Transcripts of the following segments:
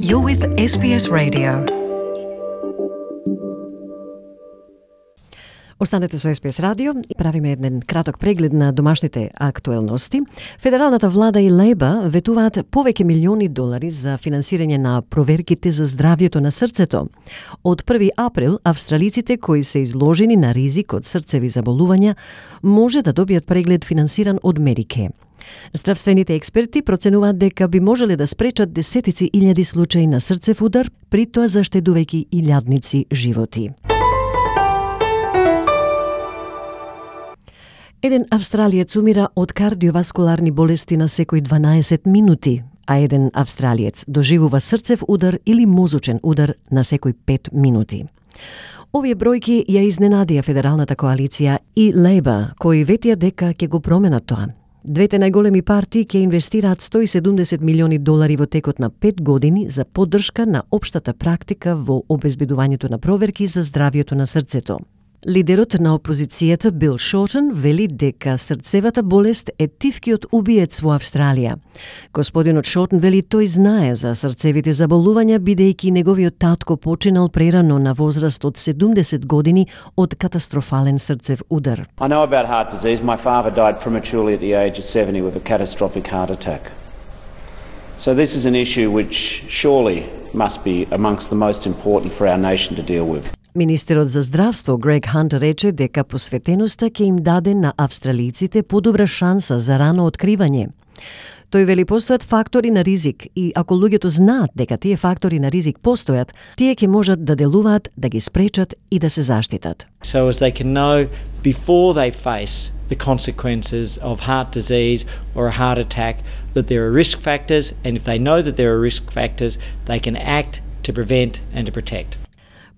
You're with SBS Radio. Останете со SBS Radio и правиме еден краток преглед на домашните актуелности. Федералната влада и Лейба ветуваат повеќе милиони долари за финансирање на проверките за здравјето на срцето. Од 1 април, австралиците кои се изложени на ризик од срцеви заболувања може да добијат преглед финансиран од Медикеј. Здравствените експерти проценуваат дека би можеле да спречат десетици илјади случаи на срцев удар, при тоа заштедувајќи илјадници животи. Еден австралиец умира од кардиоваскуларни болести на секои 12 минути, а еден австралиец доживува срцев удар или мозочен удар на секои 5 минути. Овие бројки ја изненадија Федералната коалиција и Лейба, кои ветија дека ќе го променат тоа. Двете најголеми партии ќе инвестираат 170 милиони долари во текот на 5 години за поддршка на општата практика во обезбедувањето на проверки за здравјето на срцето. Лидерот на опозицијата Бил Шортон вели дека срцевата болест е тивкиот убиец во Австралија. Господинот Шортон вели тој знае за срцевите заболувања бидејќи неговиот татко починал прерано на возраст од 70 години од катастрофален срцев удар. I know about heart disease. My father died prematurely at the age of 70 with a catastrophic heart attack. So this is an issue which surely must be amongst the most important for our nation to deal with. Министерот за здравство Грег Хант рече дека посветеноста ќе им даде на австралиците подобра шанса за рано откривање. Тој вели постојат фактори на ризик и ако луѓето знаат дека тие фактори на ризик постојат, тие ќе можат да делуваат, да ги спречат и да се заштитат. So as they can know before they face the consequences of heart disease or a heart attack that there are risk factors, and if they know that there are risk factors, they can act to prevent and to protect.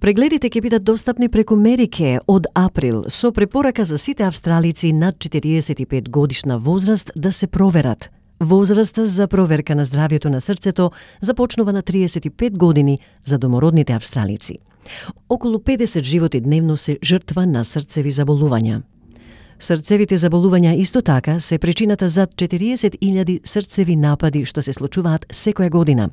Прегледите ќе бидат достапни преку Медикеј од април со препорака за сите австралици над 45 годишна возраст да се проверат. Возраста за проверка на здравјето на срцето започнува на 35 години за домородните австралици. Околу 50 животи дневно се жртва на срцеви заболувања. Срцевите заболувања исто така се причината за 40.000 срцеви напади што се случуваат секоја година.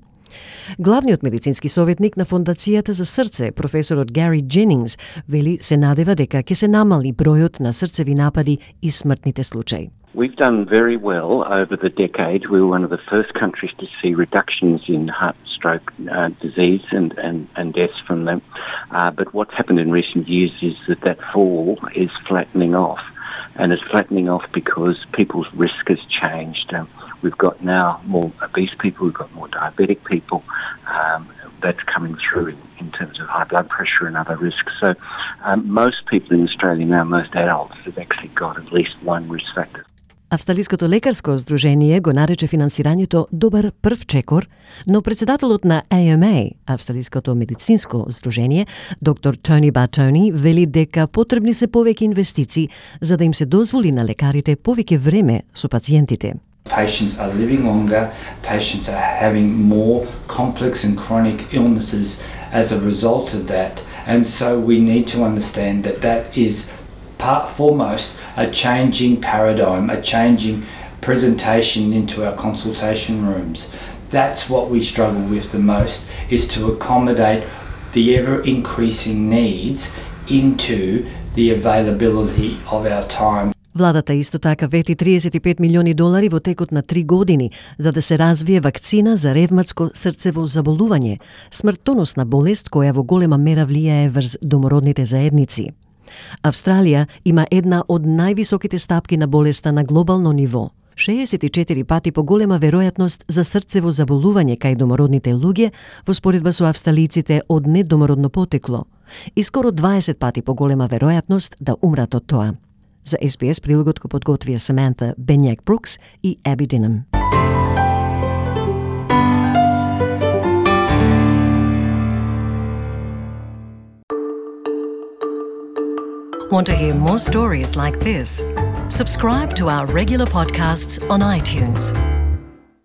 Главниот медицински советник на Фондацијата за срце, професорот Гари Дженингс, вели се надева дека ќе се намали бројот на срцеви напади и смртните случаи. We've done very well over the decade. We were one of the first countries to see reductions in heart stroke disease and deaths from them. But what's happened in recent years is that fall is flattening off. And it's flattening off because people's risk has changed. We've got now more obese people, we've got more diabetic people. That's coming through in terms of high blood pressure and other risks. So most people in Australia now, most adults, have actually got at least one risk factor. Австралиското лекарско здружение го нарече финансирањето добар прв чекор, но председателот на AMA, Австралиското медицинско здружение, доктор Тони Бартони, вели дека потребни се повеќе инвестиции за да им се дозволи на лекарите повеќе време со пациентите. Patients are living longer, patients are having more complex and chronic illnesses as a result of that. And so we need to understand that that is foremost a changing paradigm, a changing presentation into our consultation rooms. That's what we struggle with the most, is to accommodate the ever-increasing needs into the availability of our time. Владата исто така вети 35 милиони долари во текот на 3 години за да се развие вакцина за ревматско срцево заболување, смртоносна болест која во голема мера влијае врз домородните заедници. Австралија има една од највисоките стапки на болеста на глобално ниво. 64 пати поголема веројатност за срцево заболување кај домородните луѓе во споредба со австралиците од недомородно потекло и скоро 20 пати поголема веројатност да умрат од тоа. За SBS прилогот го подготвија Саманта Бенјак Брукс и Аби Динам. Want to hear more stories like this? Subscribe to our regular podcasts on iTunes.